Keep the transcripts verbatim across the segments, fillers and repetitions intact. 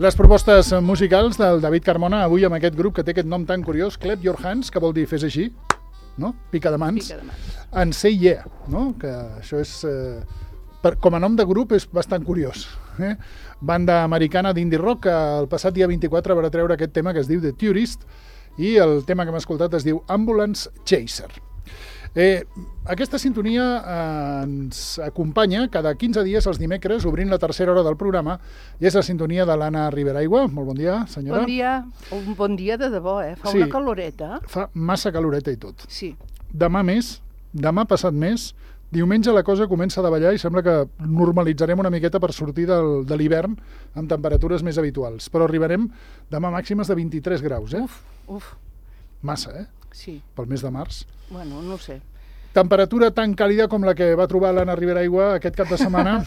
Les propostes musicals del David Carmona, avui amb aquest grup que té aquest nom tan curiós, Clap Your Hands, que vol dir fes així, no? Pica de mans. Pica de mans. En Say Yeah, no? Que això és, eh, per, com a nom de grup és bastant curiós. Eh? Banda americana d'indie rock que el passat dia vint-i-quatre va treure aquest tema que es diu The Tourist i el tema que hem escoltat es diu Ambulance Chaser. Eh, aquesta sintonia eh, ens acompanya cada quinze dies els dimecres obrint la tercera hora del programa i és la sintonia de l'Anna Riberaigua. Molt bon dia, senyora. Bon dia, un bon dia de debò, eh? Fa Sí. una caloreta. Fa massa caloreta i tot. Sí. Demà més, demà passat més, diumenge la cosa comença a davallar i sembla que normalitzarem una miqueta per sortir del, de l'hivern amb temperatures més habituals. Però arribarem demà màximes de vint-i-tres graus, eh? Uf, uf. Massa, eh? Sí. Pel mes de març. Bueno, no ho sé. Temperatura tan càlida com la que va trobar l'Anna Riberaigua aquest cap de setmana.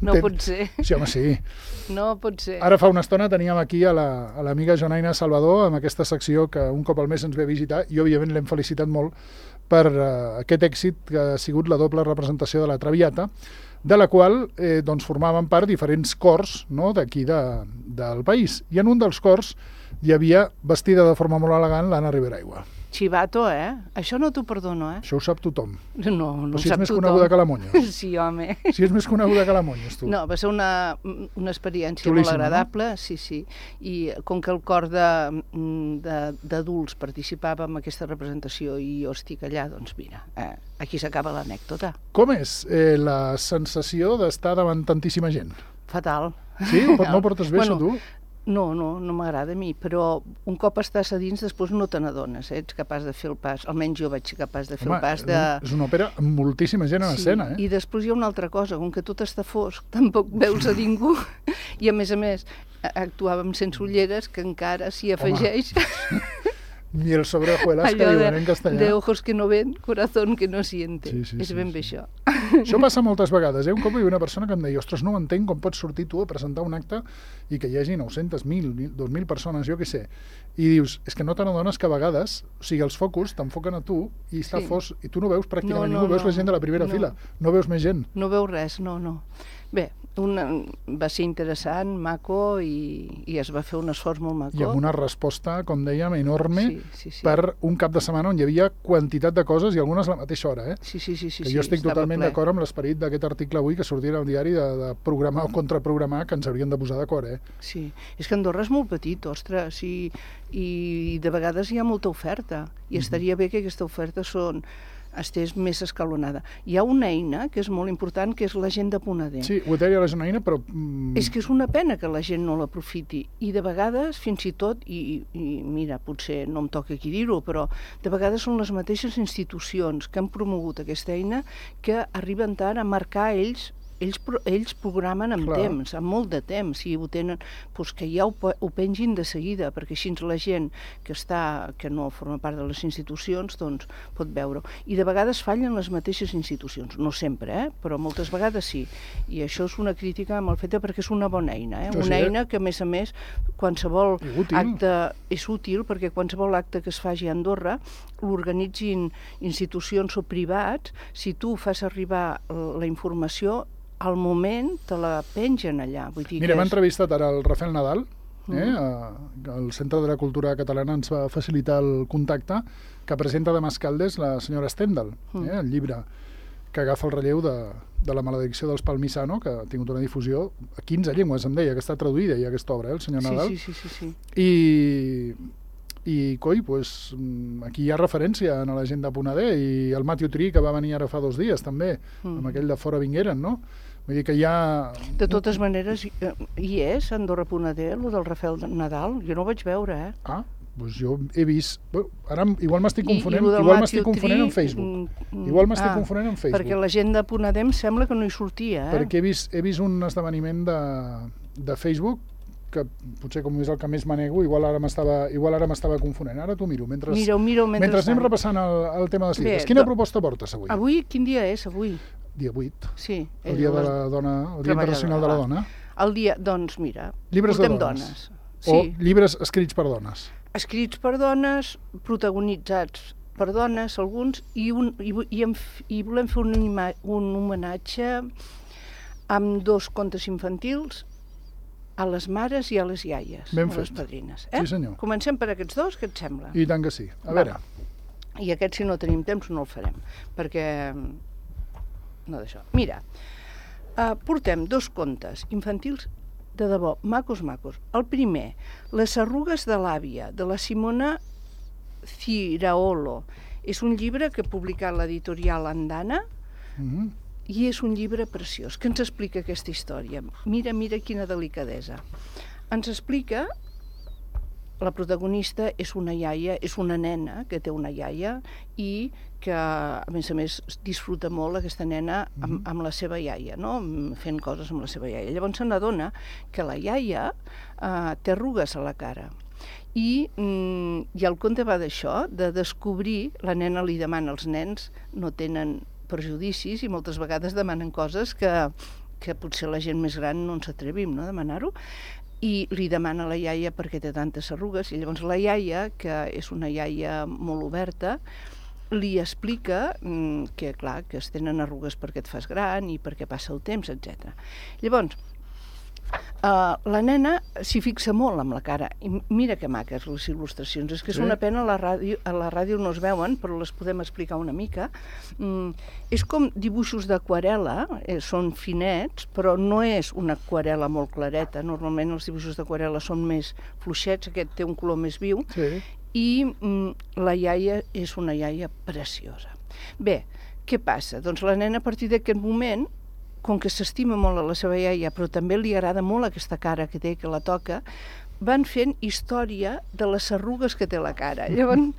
No pot ser. Sí, home, sí. No pot ser. Ara fa una estona teníem aquí a la, a l'amiga Jonaina Salvador amb aquesta secció que un cop al mes ens ve a visitar i òbviament l'hem felicitat molt per uh, aquest èxit que ha sigut la doble representació de la Traviata, de la qual eh, doncs formaven part diferents cors, no?, d'aquí de, del país. I en un dels cors hi havia, vestida de forma molt elegant, l'Anna Riberaigua. Xivato, eh? Això no t'ho perdono, eh? Això ho sap tothom. No, no Però ho si és sap més tothom. coneguda que la Monyos. Sí, home. Si és més coneguda que la Monyos, tu. No, va ser una, una experiència Xulíssima, molt agradable, no? Sí, sí. I com que el cor de- de- d'adults participava en aquesta representació i jo estic allà, doncs mira, eh, aquí s'acaba l'anècdota. Com és eh, la sensació d'estar davant tantíssima gent? Fatal. Sí? No, no ho portes bé, Bueno, això, tu? No, no, no m'agrada a mi, però un cop estàs a dins després no te n'adones, eh? Ets capaç de fer el pas, almenys jo vaig ser capaç de fer Home, el pas de... és una òpera amb moltíssima gent en Sí, escena, eh? I després hi ha una altra cosa, com que tot està fosc, tampoc veus a ningú, i a més a més a- actuàvem sense ulleres, que encara s'hi afegeix Ni el sobrejuelas que allò diuen de, en castellà. de ojos que no ven, corazón que no siente. Sí, sí, És sí, ben sí. bé això. Això passa moltes vegades, eh? Un cop hi havia una persona que em deia ostres, no ho entenc com pots sortir tu a presentar un acte i que hi hagi nou-centes, mil, dos mil persones, jo què sé. I dius, és que no te n'adones que a vegades, o sigui, els focus t'enfoquen a tu i està Sí. fos, i tu no veus pràcticament No, no, ningú, veus no, la gent de la primera no. fila, no veus més gent. No veus res, no, no. Bé, una, va ser interessant, maco, i, i es va fer un esforç molt maco. I amb una resposta, com dèiem, enorme Sí, sí, sí. per un cap de setmana on hi havia quantitat de coses i algunes a la mateixa hora, eh? Sí, sí, sí, sí, que jo sí, estic estava totalment ple. d'acord amb l'esperit d'aquest article avui que sortirà al diari de, de programar o contraprogramar que ens haurien de posar d'acord, eh? Sí, és que Andorra és molt petit, ostres, i, i de vegades hi ha molta oferta, i estaria bé que aquesta oferta són, estés més escalonada. Hi ha una eina que és molt important, que és l'agenda Poneder. Sí, ho deia la Jonaina, però... Mm, És que és una pena que la gent no l'aprofiti, i de vegades, fins i tot, i, i mira, potser no em toca aquí dir-ho, però de vegades són les mateixes institucions que han promogut aquesta eina que arriben tard a marcar ells ells, pro- ells programen amb Clar. temps, amb molt de temps, i ho tenen, doncs que ja ho, pe- ho pengin de seguida, perquè així la gent que està, que no forma part de les institucions, doncs pot veure-ho. I de vegades fallen les mateixes institucions, no sempre, eh? Però moltes vegades sí. I això és una crítica mal feta perquè és una bona eina, eh? Això sí, Una eh? eina que, a més a més, qualsevol I útil. acte és útil, perquè qualsevol acte que es faci a Andorra l'organitzin institucions o privats, si tu fas arribar la informació, al moment te la pengen allà. Vull dir Mira, que hem és... entrevistat ara el Rafael Nadal, eh? Mhm. a- el Centre de la Cultura Catalana ens va facilitar el contacte que presenta de Mascaldes la senyora Stendhal, Mm. eh? el llibre que agafa el relleu de, de la maledicció dels Palmisano, que ha tingut una difusió a quinze llengües, em deia, que està traduïda ja aquesta obra, eh? el senyor Nadal. Sí, sí, sí, sí, sí. I, i coi, pues, mm, aquí hi ha referència en l'agenda Poneder i el Matthew Tree, que va venir ara fa dos dies també, Mm. amb aquell de Fora Vingueren, no? Vull dir que hi ha... De totes maneres, eh, hi és, a Andorra Poneder, el del Rafael Nadal? Jo no ho vaig veure, eh? Ah, doncs jo he vist... Bé, ara igual m'estic I- i confonent, lo del igual Matthew m'estic confonent Tree, amb Facebook. mm, mm, Igual m'estic ah, confonent amb Facebook. Perquè la gent de Poneder em sembla que no hi sortia, eh? Perquè he vist, he vist un esdeveniment de, de Facebook que potser com és el que més manego, igual ara m'estava igual ara m'estava confonent. Ara t'ho miro. Mentre, Mira-ho, mira-ho mentre mentrestant. anem repassant el, el tema dels Bé, llibres. Quina do- proposta portes avui? Avui, quin dia és, avui? Dia vuit. Sí. El és dia de les- la dona, el dia internacional de la dona. El dia, doncs mira, Llibres de portem dones. Sí, O llibres escrits per dones. escrits per dones, protagonitzats per dones, alguns, i, un, i, vu- i, em, f- i volem fer un, ima- un homenatge amb dos contes infantils a les mares i a les iaies, Ben a les fet. padrines. Eh? Sí, senyor. Comencem per aquests dos, què et sembla? I tant que sí. A Va. veure, I aquest, si no tenim temps, no el farem, perquè... No d'això. Mira, uh, portem dos contes infantils de debò, macos, macos. El primer, Les arrugues de l'àvia, de la Simona Ciraolo. És un llibre que ha publicat l'editorial Andana, mhm, i és un llibre preciós, que ens explica aquesta història. Mira, mira quina delicadesa. Ens explica, la protagonista és una iaia, és una nena que té una iaia i que, a més a més, disfruta molt aquesta nena amb, amb la seva iaia, no? Fent coses amb la seva iaia. Llavors se n'adona que la iaia eh, té arrugues a la cara. I, mm, i el conte va d'això, de descobrir, la nena li demana, els nens no tenen prejudicis i moltes vegades demanen coses que, que potser la gent més gran no ens atrevim, no?, a demanar-ho, i li demana a la iaia per què té tantes arrugues, i llavors la iaia, que és una iaia molt oberta, li explica mm, que, clar, que es tenen arrugues perquè et fas gran i perquè passa el temps, etcètera. Llavors, Uh, la nena s'hi fixa molt amb la cara, i mira que maques les il·lustracions, és que és Sí. una pena, a la ràdio, a la ràdio no es veuen, però les podem explicar una mica. Mm, és com dibuixos d'aquarel·la, eh, són finets, però no és una aquarel·la molt clareta, normalment els dibuixos d'aquarel·la són més fluixets, aquest té un color més viu, sí. i mm, la iaia és una iaia preciosa. Bé, què passa? Doncs la nena a partir d'aquest moment, com que s'estima molt a la seva iaia, però també li agrada molt aquesta cara que té, que la toca, van fent història de les arrugues que té la cara. Llavors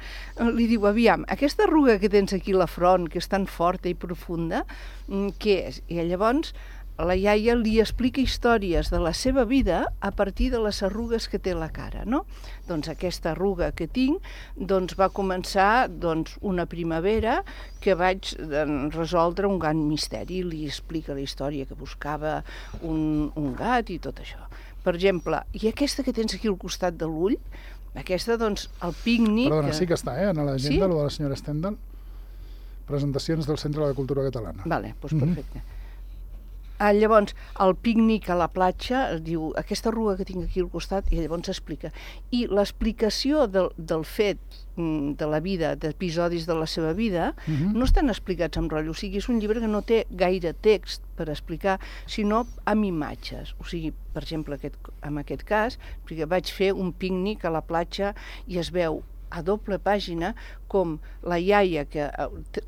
li diu, aviam, aquesta arruga que tens aquí a la front, que és tan forta i profunda, què és? I llavors la iaia li explica històries de la seva vida a partir de les arrugues que té la cara, no? Doncs aquesta arruga que tinc doncs va començar doncs, una primavera que vaig doncs, resoldre un gran misteri. Li explica la història que buscava un, un gat i tot això. Per exemple, i aquesta que tens aquí al costat de l'ull, aquesta, doncs, el pícnic... Perdona, que... sí que està, eh, en l'agenda, Sí? lo de la senyora Stendhal. Presentacions del Centre de la Cultura Catalana. Vale, doncs Mhm. perfecte. Ah, llavors, el pícnic a la platja, es diu, aquesta arruga que tinc aquí al costat, i llavors explica. I l'explicació del, del fet mm, de la vida, d'episodis de la seva vida, Mhm. no estan explicats amb rotllo. O sigui, és un llibre que no té gaire text per explicar, sinó amb imatges. O sigui, per exemple, aquest, en aquest cas, perquè vaig fer un pícnic a la platja i es veu a doble pàgina com la iaia, que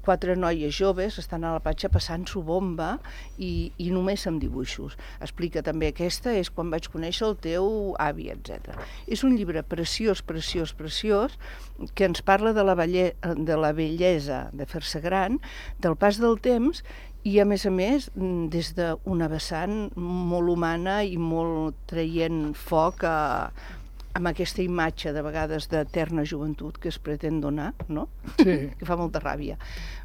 quatre noies joves estan a la platja passant-s'ho bomba i, i només amb dibuixos. Explica també, aquesta és quan vaig conèixer el teu avi, etcètera. És un llibre preciós, preciós, preciós, que ens parla de la, belle, de la bellesa de fer-se gran, del pas del temps, i a més a més des d'una vessant molt humana i molt traient foc a amb aquesta imatge, de vegades, d'eterna joventut que es pretén donar, no? Sí. Que fa molta ràbia.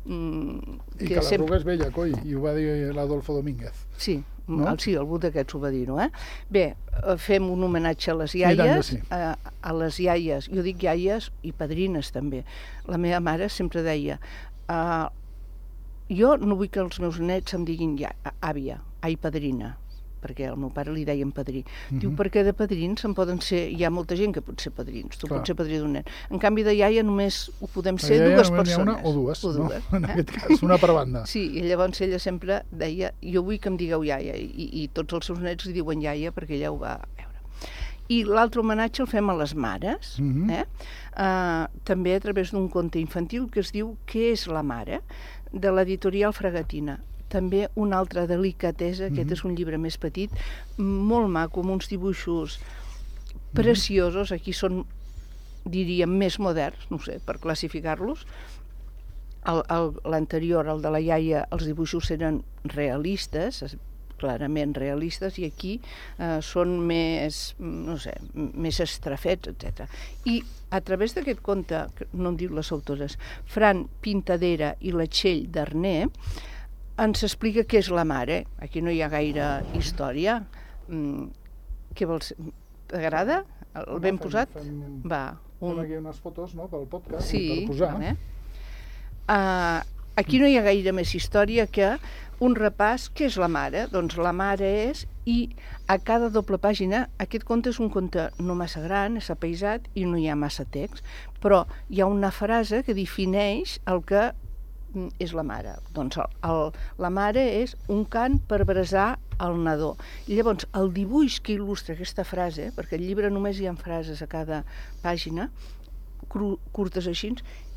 Mm, I que, que l'arruga és vella, coi, i ho va dir l'Adolfo Domínguez. Sí, no? el, sí, algú d'aquests ho va dir, no? Eh? Bé, fem un homenatge a les I tant que iaies, sí. a, a les iaies, jo dic iaies i padrines també. La meva mare sempre deia, uh, jo no vull que els meus nets em diguin ja, àvia, ai padrina, perquè al meu pare li deien padrí. Mm-hmm. Diu, perquè de padrins en poden ser... Hi ha molta gent que pot ser padrins, tu Clar. pots ser padrí d'un nen. En canvi, de iaia només ho podem La ser iaia dues només persones. n'hi ha una o dues, o dues no? En eh? aquest cas, una per banda. Sí, i llavors ella sempre deia, jo vull que em digueu iaia, i, i tots els seus nets li diuen iaia perquè ella ho va veure. I l'altre homenatge el fem a les mares, Mhm. eh? uh, també a través d'un conte infantil que es diu Què és la mare?, de l'editorial Fragatina. També una altra delicatesa, aquest Mhm. és un llibre més petit, molt maco, amb uns dibuixos preciosos, aquí són, diríem, més moderns, no sé, per classificar-los. El- el- L'anterior, el de la iaia, els dibuixos eren realistes, es- clarament realistes, i aquí eh, són més, no sé, m- més estrafets, etcètera. I a través d'aquest conte, que no em diu les autores, Fran Pintadera i la Txell d'Arner, ens explica què és la mare. Aquí no hi ha gaire història. Mm, què vols? T'agrada? El ben Fem- posat? Fem, Va. fem aquí unes fotos, no?, pel podcast, Sí, per posar. vale. Uh, aquí no hi ha gaire més història que un repàs. Què és la mare? Doncs la mare és, i a cada doble pàgina, aquest conte és un conte no massa gran, és apaïsat i no hi ha massa text, però hi ha una frase que defineix el que és la mare. Doncs el, el, la mare és un cant per brasar el nadó. I llavors el dibuix que il·lustra aquesta frase, perquè al llibre només hi ha frases a cada pàgina, cru, curtes així,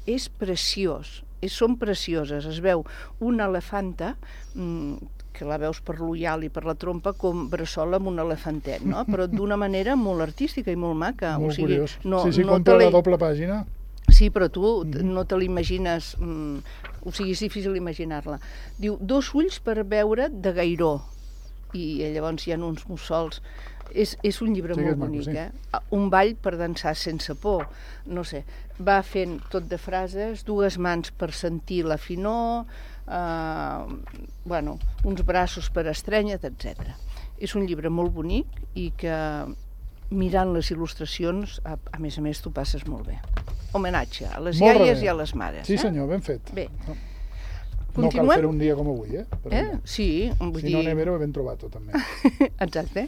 és preciós. És, són precioses. Es veu una elefanta, mmm, que la veus per l'ullal i per la trompa, com bressola amb un elefantet, no? Però d'una manera molt artística i molt maca. Molt o sigui, curiós. No, sí, sí, no com per la doble pàgina. Sí, però tu mm. no te l'imagines, mm, o sigui, és difícil imaginar-la. Diu, dos ulls per veure de gairó, i llavors hi ha uns mussols. És, és un llibre sí, molt bonic, maco, sí. eh? Un ball per dansar sense por, no sé. Va fent tot de frases, dues mans per sentir la finor, eh, bueno, uns braços per estrènyer, etcètera. És un llibre molt bonic i que, mirant les il·lustracions, a, a més a més, tu passes molt bé. Homenatge a les molt iaies bé. I a les mares. Sí, eh? senyor, ben fet. Bé. No, Continuem? no cal fer un dia com avui, eh? Però eh? Sí, vull si dir... no n'he ben trobat, també. Exacte.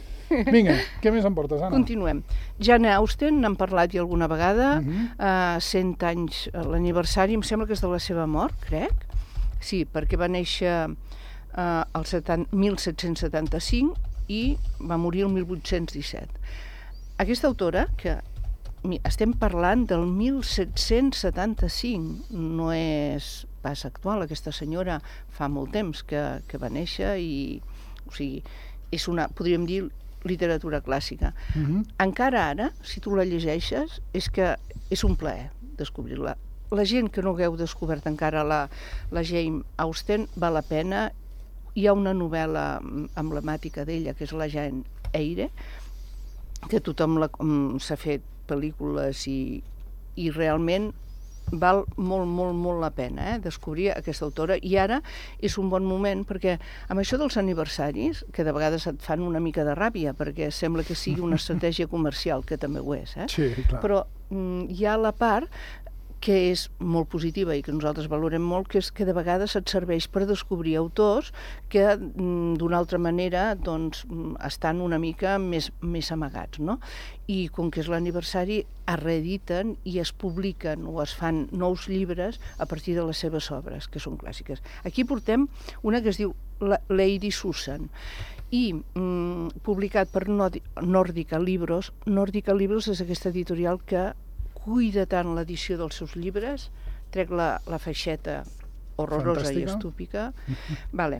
Vinga, què més em portes, Anna? Continuem. Jane Austen, n'hem parlat ja alguna vegada, uh Mhm. -huh. uh, cent anys, l'aniversari, em sembla que és de la seva mort, crec. Sí, perquè va néixer uh, el mil set-cents setanta-cinc i va morir el mil vuit-cents disset. Aquesta autora, que estem parlant del mil set-cents setanta-cinc, no és pas actual, aquesta senyora fa molt temps que, que va néixer i, o sigui, és una, podríem dir, literatura clàssica. Uh-huh. Encara ara, si tu la llegeixes, és que és un plaer descobrir-la. La gent que no hagueu descobert encara la, la Jane Austen, val la pena. Hi ha una novel·la emblemàtica d'ella, que és la Jane Eyre, que tothom s'ha fet pel·lícules i, i realment val molt, molt, molt la pena eh, descobrir aquesta autora. I ara és un bon moment perquè amb això dels aniversaris, que de vegades et fan una mica de ràbia perquè sembla que sigui una estratègia comercial, que també ho és, eh? Sí, clar. Però mm, hi ha la part que és molt positiva i que nosaltres valorem molt, que és que de vegades et serveix per descobrir autors que d'una altra manera doncs, estan una mica més, més amagats, no? I com que és l'aniversari, es reediten i es publiquen o es fan nous llibres a partir de les seves obres, que són clàssiques. Aquí portem una que es diu Lady Susan i mm, publicat per Nordica Libros. Nordica Libros és aquesta editorial que cuida tant l'edició dels seus llibres, trec la, la feixeta horrorosa Fantàstica. I estúpica, vale.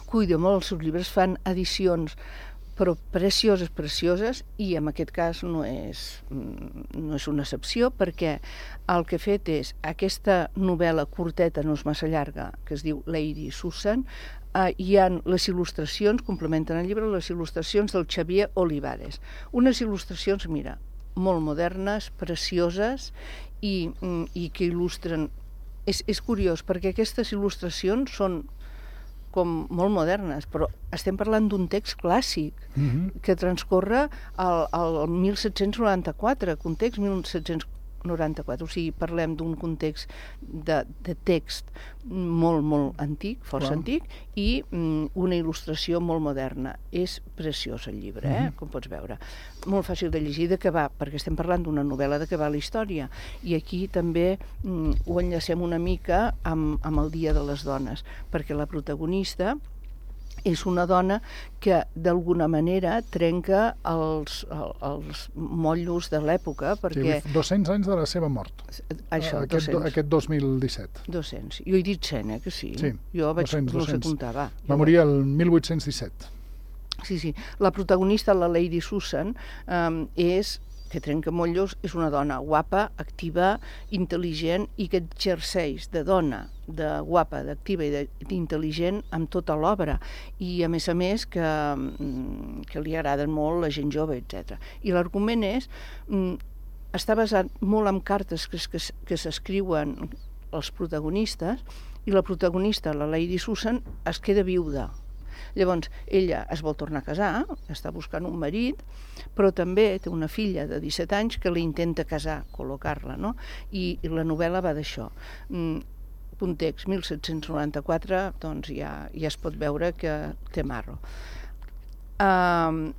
Cuida molt els seus llibres, fan edicions però precioses, precioses, i en aquest cas no és, no és una excepció, perquè el que he fet és aquesta novel·la curteta, no és massa llarga, que es diu Lady Susan, eh, hi ha les il·lustracions, complementen el llibre, les il·lustracions del Xavier Olivares. Unes il·lustracions, mira, molt modernes, precioses i, i que il·lustren. És, és curiós, perquè aquestes il·lustracions són com molt modernes, però estem parlant d'un text clàssic mm-hmm. que transcorre al, al mil set-cents noranta-quatre, context mil set-cents noranta-quatre, o sigui, parlem d'un context de, de text molt, molt antic, força wow. antic, i mm, una il·lustració molt moderna. És preciós el llibre, eh? Mm-hmm. Com pots veure. Molt fàcil de llegir, de què va, perquè estem parlant d'una novel·la de què va la història, i aquí també mm, ho enllacem una mica amb, amb el Dia de les Dones, perquè la protagonista és una dona que d'alguna manera trenca els, els motllos de l'època, perquè... Sí, dos-cents anys de la seva mort. Això, aquest, dos-cents. Aquest dos mil disset. dos-cents. Jo he dit cent, eh, que sí. Sí, jo vaig, dos-cents, no dos-cents. sé comptar, va. Va morir el mil vuit-cents disset. Sí, sí. La protagonista, la Lady Susan, um, és... que trenca motllos, és una dona guapa, activa, intel·ligent i que exerceix de dona, de guapa, d'activa i d'intel·ligent amb tota l'obra. I, a més a més, que, que li agraden molt la gent jove, etcètera. I l'argument és... està basat molt en cartes que, que, que s'escriuen els protagonistes, i la protagonista, la Lady Susan, es queda viuda. Llavors, ella es vol tornar a casar, està buscant un marit, però també té una filla de disset anys que li intenta casar, col·locar-la, no? I, i la novel·la va d'això. Mm, context mil set-cents noranta-quatre, doncs ja, ja es pot veure que té marro. Uh,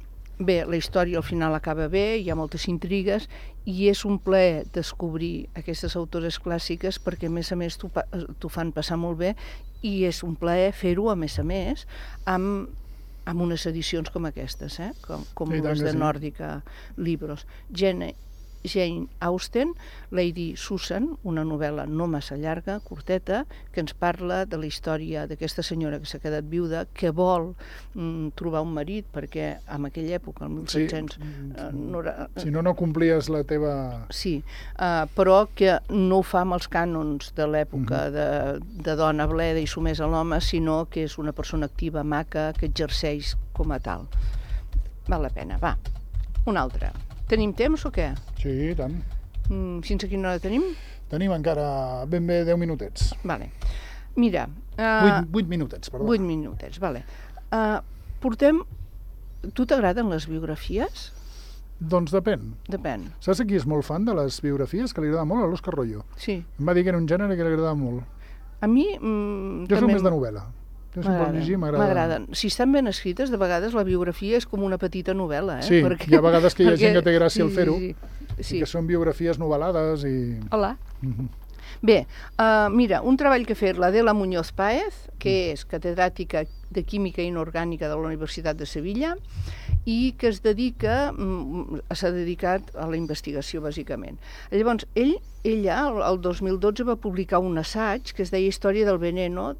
bé, la història al final acaba bé, hi ha moltes intrigues, i és un plaer descobrir aquestes autores clàssiques perquè, a més a més, t'ho fan passar molt bé, i és un plaer fer-ho, a més a més, amb, amb unes edicions com aquestes, eh? com, com sí, les de sí. Nòrdica Libros. Jane, Jane Austen, Lady Susan, una novel·la no massa llarga, curteta, que ens parla de la història d'aquesta senyora que s'ha quedat viuda, que vol mm, trobar un marit, perquè en aquella època, el mil set-cents... Sí, eh, no era, eh, si no, no complies la teva... Sí, eh, però que no ho fa amb els cànons de l'època uh-huh. de, de dona bleda i sumesa a l'home, sinó que és una persona activa, maca, que exerceix com a tal. Val la pena, va. Una altra. Tenim temps o què? Sí, i tant. Mm, fins a quina hora tenim? Tenim encara ben bé deu minutets. Vale. Mira... Uh, vuit, vuit minutets, perdó. Vuit minutets, vale. Uh, portem... Tu t'agraden les biografies? Doncs depèn. Depèn. Saps qui és molt fan de les biografies? Que li agrada molt a l'Òscar Royo. Sí. Em va dir que era un gènere que li agradava molt. A mi... Mm, jo soc també... més de novel·la. Jo si em pot llegir, m'agrada. M'agraden. Si estan ben escrites, de vegades la biografia és com una petita novel·la. Eh? Sí, perquè... hi ha vegades que hi ha perquè... gent que té gràcia al fer-ho, sí, sí, sí. i que són biografies novel·lades i... Hola. Mm-hmm. Bé, uh, mira, un treball que ha fet l'Adela Muñoz Páez, que és catedràtica de Química Inorgànica de la Universitat de Sevilla, i que es dedica, s'ha dedicat a la investigació, bàsicament. Llavors, ell, ella, el dos mil dotze, va publicar un assaig que es deia Història del veneno,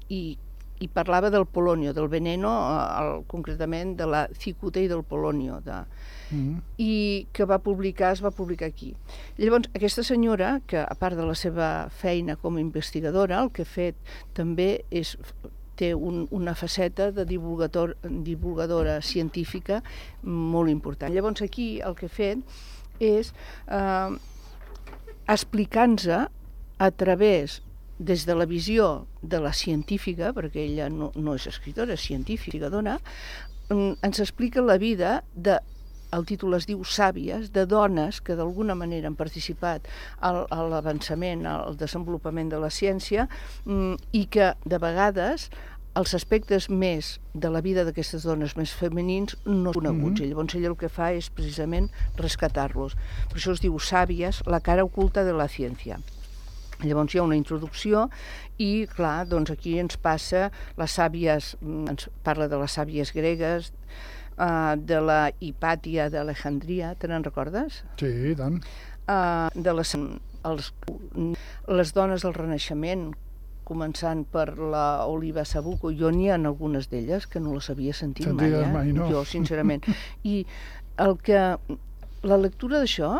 i, i parlava del polonio, del veneno, el, concretament de la cicuta i del polonio, de, mm-hmm. i que va publicar, es va publicar aquí. Llavors, aquesta senyora, que a part de la seva feina com a investigadora, el que ha fet també és... té un, una faceta de divulgador, divulgadora científica molt important. Llavors aquí el que he fet és eh, explicar-nos a través, des de la visió de la científica, perquè ella no, no és escriptora, és científica, dona, ens explica la vida de, el títol es diu Sàvies, de dones que d'alguna manera han participat al, a l'avançament, al desenvolupament de la ciència, i que de vegades els aspectes més de la vida d'aquestes dones més femenins no són coneguts. Mm-hmm. Llavors ella el que fa és precisament rescatar-los. Per això es diu Sàvies, la cara oculta de la ciència. Llavors hi ha una introducció i, clar, doncs aquí ens passa les sàvies, ens parla de les sàvies gregues, uh, de la Hipàtia d'Alejandria, te n'en recordes? Sí, i tant. Uh, de les, els, les dones del Renaixement, començant per la Oliva Sabuco, jo n'hi ha algunes d'elles que no les havia sentit mai, eh? mai, no. Jo, sincerament. I el que, la lectura d'això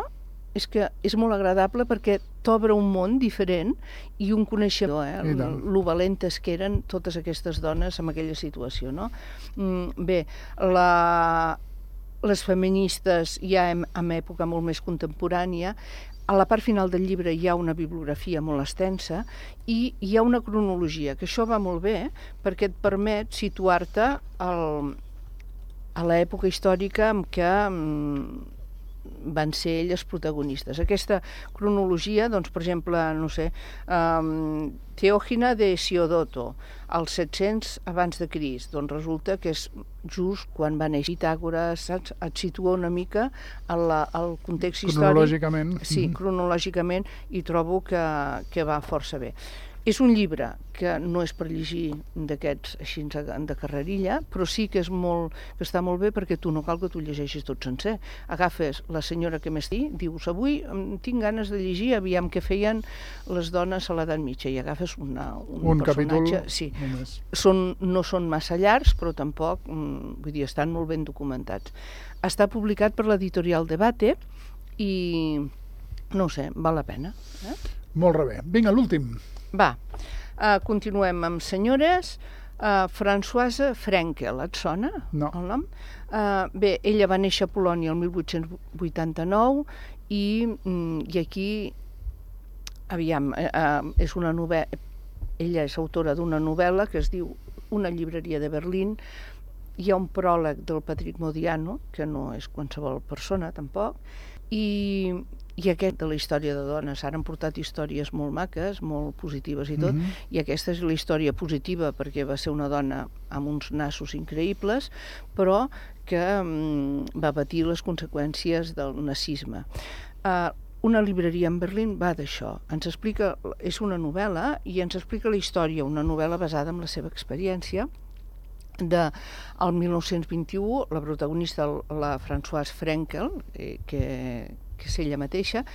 és que és molt agradable perquè t'obre un món diferent i un coneixement, eh? Lo valentes que eren totes aquestes dones en aquella situació, no? Bé, la, les feministes ja en, en època molt més contemporània, a la part final del llibre hi ha una bibliografia molt extensa i hi ha una cronologia, que això va molt bé perquè et permet situar-te al, a l'època històrica en què van ser elles protagonistes. Aquesta cronologia, doncs, per exemple, no sé, um, Teògina de Siodoto, als set-cents abans de Crist, doncs resulta que és just quan va néixer Pitàgores, saps? Et situa una mica al, al context històric. Cronològicament. Sí, cronològicament, i trobo que, que va força bé. És un llibre que no és per llegir d'aquests així de carrerilla, però sí que, és molt, que està molt bé perquè tu no cal que tu llegeixis tot sencer. Agafes la senyora que més dir, dius, avui tinc ganes de llegir, aviam què feien les dones a l'edat mitja, i agafes una, un, un personatge... capítol sí. només. Són, no són massa llargs, però tampoc, vull dir, estan molt ben documentats. Està publicat per l'editorial Debate i, no ho sé, val la pena. Eh? Molt bé. Vinga, l'últim. Va, uh, continuem amb senyores. Uh, Françoise Frenkel, et sona no. el nom? Uh, bé, ella va néixer a Polònia el mil vuit-cents vuitanta-nou i, mm, i aquí, aviam, uh, és una novel·la, ella és autora d'una novel·la que es diu Una llibreria de Berlín. Hi ha un pròleg del Patrick Modiano, que no és qualsevol persona tampoc, i, I aquest de la història de dones, ara han portat històries molt maques, molt positives i tot, mm -hmm. i aquesta és la història positiva perquè va ser una dona amb uns nassos increïbles, però que mm, va patir les conseqüències del nazisme. Uh, Una llibreria en Berlín va d'això. Ens explica, és una novel·la i ens explica la història, una novel·la basada en la seva experiència. De, el mil nou-cents vint-i-u, la protagonista, la Françoise Frenkel, eh, que, que és ella mateixa,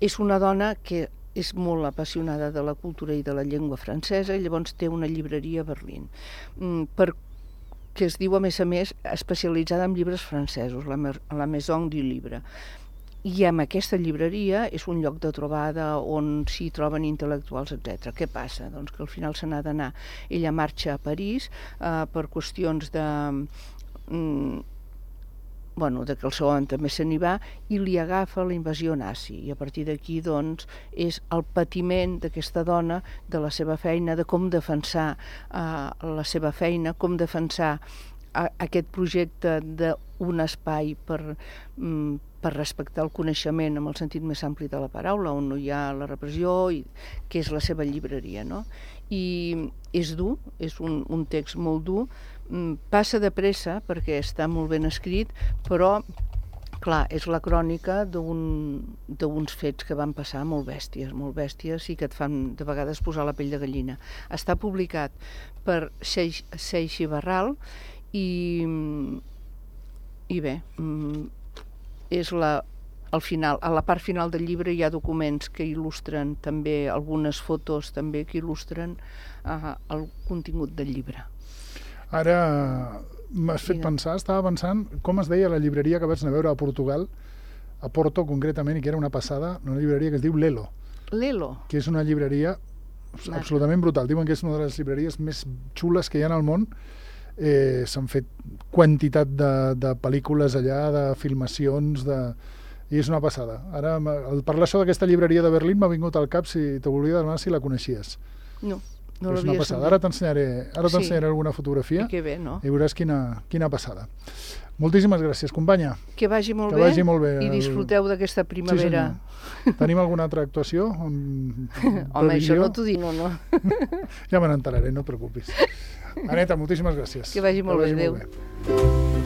és una dona que és molt apassionada de la cultura i de la llengua francesa i llavors té una llibreria a Berlín. Mm, per, que es diu, a més a més, especialitzada en llibres francesos, la, la Maison du Livre. I amb aquesta llibreria és un lloc de trobada on s'hi troben intel·lectuals, etcètera. Què passa? Doncs que al final se n'ha d'anar. Ella marxa a París eh, per qüestions de... Mm, bueno, de que el seu home també se n'hi va i li agafa la invasió nazi. I a partir d'aquí, doncs, és el patiment d'aquesta dona, de la seva feina, de com defensar eh, la seva feina, com defensar eh, aquest projecte d'un espai per... Mm, per respectar el coneixement amb el sentit més ampli de la paraula, on no hi ha la repressió, i, que és la seva llibreria, no? I és dur, és un, un text molt dur, passa de pressa perquè està molt ben escrit, però, clar, és la crònica d'uns fets que van passar molt bèsties, molt bèsties i que et fan de vegades posar la pell de gallina. Està publicat per Seixi Barral i, i bé, és la, al final, a la part final del llibre hi ha documents que il·lustren també, algunes fotos també que il·lustren uh, el contingut del llibre. Ara m'has fet pensar, estava pensant com es deia la llibreria que vaig anar a veure a Portugal, a Porto concretament, i que era una passada, una llibreria que es diu Lelo. Lelo? Que és una llibreria Maca. absolutament brutal. Diuen que és una de les llibreries més xules que hi ha al món. Eh, s'han fet quantitat de, de pel·lícules allà, de filmacions, de... i és una passada. Ara, al parlar això d'aquesta llibreria de Berlín m'ha vingut al cap si te volia demanar si la coneixies. No, no és una passada. Ara t'ensenyaré ara t'ensenyaré sí. alguna fotografia i, bé, no? i veuràs quina, quina passada. Moltíssimes gràcies, companya. Que vagi molt, que bé, vagi molt bé i disfruteu d'aquesta primavera. Sí, tenim alguna altra actuació? Amb... Home, això no t'ho dic, no, no. Ja me n'enteraré, no et preocupis. Aneta, moltíssimes gràcies. Que vagi molt que vagi bé, molt adéu. Bé.